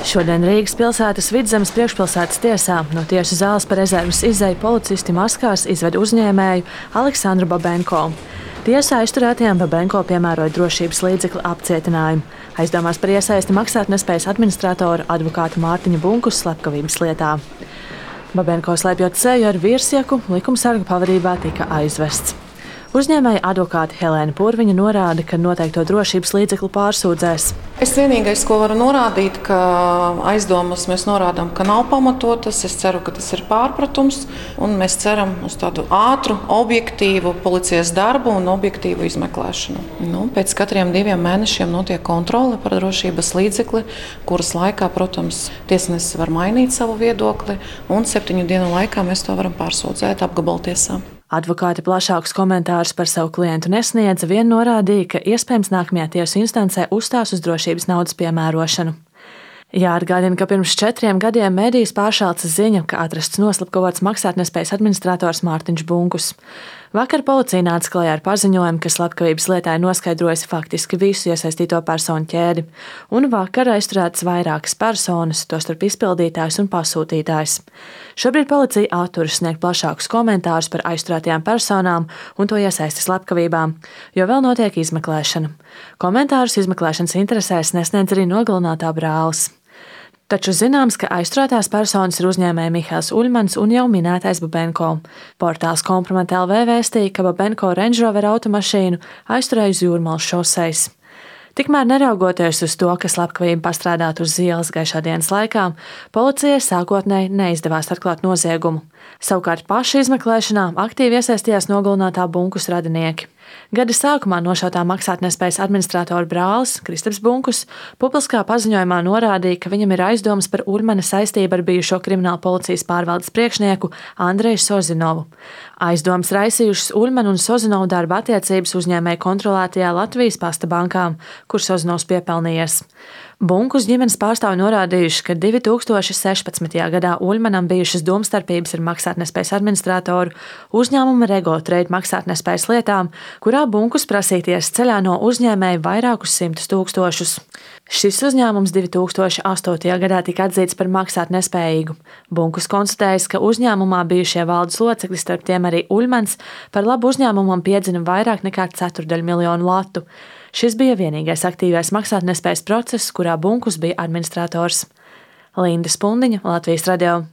Šodien Rīgas pilsētas Vidzemes priekšpilsētas tiesā no tiesu zāles par rezerves izeju policisti maskās izved uzņēmēju Aleksandru Babenko. Tiesā aizturētajam Babenko piemēroja drošības līdzekļu apcietinājumu, aizdomās par iesaisti maksātnespējas administratora advokāta Mārtiņa Bunkus slepkavības lietā. Babenko slēpjot seju ar virsjaku, likumsarga pavadībā tika aizvests. Uzņēmēja advokāte Helēna Purviņa norāda, ka noteikto drošības līdzekļu pārsūdzēs. Es vienīgais, ko varu norādīt, ka aizdomas mēs norādām, ka nav pamatotas. Es ceru, ka tas ir pārpratums, un mēs ceram uz tādu ātru, objektīvu policijas darbu un objektīvu izmeklēšanu. Pēc katriem 2 mēnešiem notiek kontrole par drošības līdzekli, kuras laikā, protams, tiesnesis var mainīt savu viedokli, un 7 dienu laikā mēs to varam pārsūdzēt apgabaltiesā. Advokāte plašākus komentārus par savu klientu nesniedza, vien norādīja, ka iespējams nākamajā tiesu instancē uzstās uz drošības naudas piemērošanu. Jāatgādina, ka pirms 4 gadiem medijos pāršāca ziņa, ka atrasts noslapkavots maksātnespējas administrators Mārtiņš Bunkus. Vakar policija nāca klajā ar paziņojumu, ka slepkavības lietā ir noskaidrojusi faktiski visu iesaistīto personu ķēdi, un vakar aizturētas vairākas personas, tostarp izpildītājs un pasūtītājs. Šobrīd policija atturas sniegt plašākus komentārus par aizturētajām personām un to iesaisti slepkavībām, jo vēl notiek izmeklēšana. Komentārus izmeklēšanas interesēs nesniedz arī nogalinātā brālis. Taču zināms, ka aizturētās personas ir uzņēmēji Mihails Uļmans un jau minētais Babenko. Portāls Komprometa.lv vēstīja, ka Babenko Range Rover automašīnu aizturēja uz Jūrmalas šosejas. Tikmēr neraugoties uz to, ka slepkavība pastrādāta uz ielas gaišā dienas laikā, policijai sākotnēji neizdevās atklāt noziegumu. Savukārt paša izmeklēšanā aktīvi iesaistījās nogalinātā Bunkus radinieki. Gada sākumā nošautā maksātnespējas administratora brālis Kristaps Bunkus publiskā paziņojumā norādīja, ka viņam ir aizdomas par Uļmana saistību ar bijušo krimināla policijas pārvaldes priekšnieku Andreju Sozinovu. Aizdomas raisījušas Uļmana un Sozinovu darba attiecības uzņēmēju kontrolētajā Latvijas pasta bankā, kur Sozinovs piepelnījies. Bunkus ģimenes pārstāvji norādījuši, ka 2016. gadā Uļmanam bijušas domstarpības ar maksātnespējas administratoru uzņēmuma Rego Trade maksātnespējas lietām, kurā Bunkus prasīties ceļā no uzņēmēja vairākus 100 000. Šis uzņēmums 2008. gadā tika atzīts par maksātnespējīgu. Bunkus konstatējis, ka uzņēmumā bijušie valdes locekļi, starp tiem arī Uļmans, par labu uzņēmumam piedzina vairāk nekā 1/4 miljonu latu. Šis bija vienīgais aktīvais maksātnespējas process, kurā Bunkus bija administrators. Linda Spundiņa, Latvijas radio.